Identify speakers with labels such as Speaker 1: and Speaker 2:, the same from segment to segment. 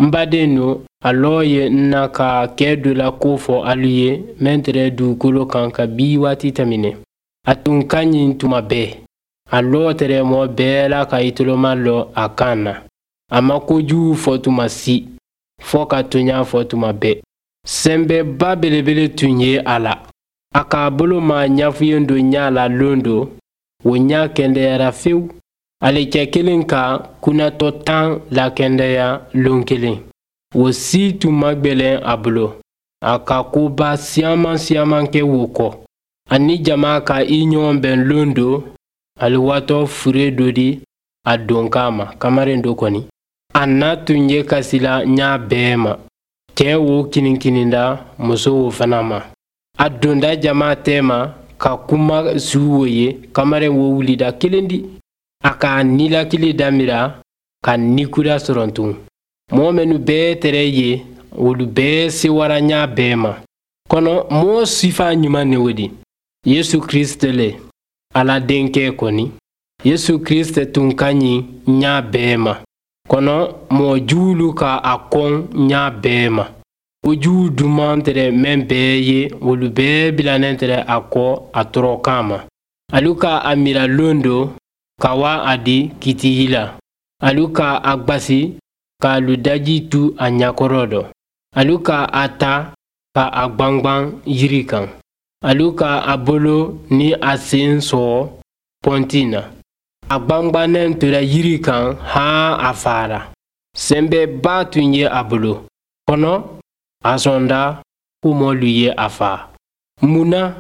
Speaker 1: N badennu, a lɔ ye n na ka kɛ dɔ la ko fɔ alu ye mɛn tɛrɛ dugukolo kan kabi waati tɛmɛnen. A tun ka ɲi tuma bɛɛ. A lɔ tɛrɛ mɔgɔ bɛɛ la ka i toloma lɔ a kan na. A ma kojugu fɔ tuma si, fɔ ka toɲa fɔ tuma bɛɛ. Sɛnbɛba belebele tun ye a la. A k'a bolo ma ɲafuyen dɔ ɲa la lon do, o ɲa kɛndɛyara fewu. Ale cɛ kelen ka kunnatɔ 10 lakɛndɛya lon kelen. O si tun ma gwɛlɛn a bolo. A ka koba siyaman siyaman kɛ wo kɔ. A ni jama ka i ɲɔgɔn bɛn lon do, ale watɔ fure dɔ di a donkan ma, kamaren dɔ kɔni. A na tun ye kasila ɲa bɛɛ ma. Cɛ wo kininkininda, muso wo fana ma. A donda jama tɛma ka kuma su wo ye, kamaren wo wulida kelen di. A k'a nilakili damira ka nikura sɔrɔ tun. Mɔgɔ minnu bɛɛ tɛrɛ ye, olu bɛɛ sewara ɲa bɛɛ ma. Kɔnɔ mɔgɔ sifa ɲuman ne o di. Yesu Kristo le, Ala denkɛ kɔni. Yesu Kristo tun ka ɲi ɲa bɛɛ ma. Kɔnɔ mɔgɔ juwulu ka a kɔn ɲa bɛɛ ma. Kojugu duman tɛrɛ mɛn bɛɛ ye, olu bɛɛ bilanen tɛrɛ a kɔ a tɔɔrɔ ma. Alu ka a mira lon do, ka wa a di kitiyi la. Alu ka a gbasi, k'alu daji tu a ɲakɔrɔ dɔ. Alu ka a ta, ka a gwangwan yiri kan. Alu ka a bolo ni a sen sɔgɔ pɔnti na. A gwangwannen tora yiri kan haan a fara. Sɛnbɛba tun ye a bolo. Kɔnɔ, a sɔnda ko mɔlu ye a fa. Mun na?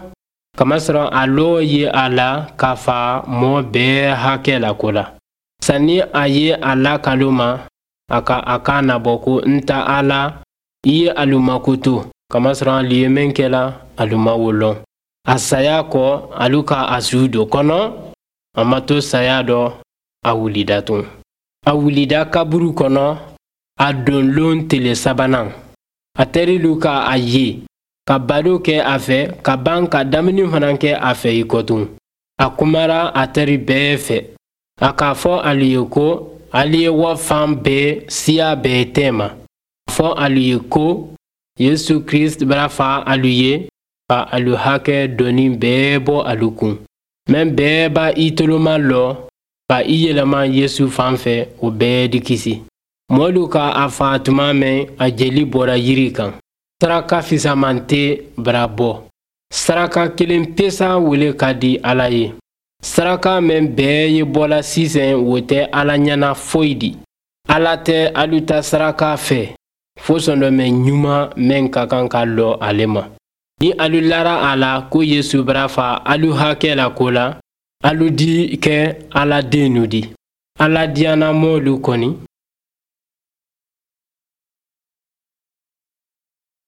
Speaker 1: Kamasɔrɔ a lɔ ye a la k'a fa mɔɔ bɛɛ hakɛ la ko la. Sanni a ye a lakalo ma, a ka a kan nabɔ ko n ta ala, i ye alu makoto. Kamasɔrɔ alu ye mɛn kɛla, alu ma wo lɔn. A saya kɔ, alu ka a su don kɔnɔ, a ma to saya dɔ, a wulida tun. A wulida kaburu kɔnɔ, a donlon tele sabanan. A terilu ka a ye, ka baro kɛ a fɛ, ka ban ka dumuni fana kɛ a fɛ i kɔ tun. A kumara a teri bɛɛ fɛ. A k'a fɔ alu ye ko alu ye wa fan bɛɛ siya bɛɛ tɛma. Fɔ alu ye ko Yesu Kristo bara fa alu ye ka alu hakɛ doni bɛɛ bɔ alu kun. Mɛn bɛɛ b'a i toloma lɔ ka i yɛlɛma Yesu fan fɛ, o bɛɛ di kisi. Mɔlu ka a fa tuma mɛn a jeli bɔra yiri kan. Saraka fisaman tɛ bara bɔ. Saraka kelen pesa wele ka di Ala ye. Saraka mɛn bɛɛ ye bɔla sisan, o tɛ Ala ɲɛna foyi di. Ala tɛ alu ta saraka fɛ, fo sɔndɔmɛ ɲuman mɛn ka kan ka lɔ ale ma. Ni alu lara a la ko Yesu bara fa alu hakɛ la ko la, alu di kɛ Ala dennu di. Ala diyana mɔlu kɔni.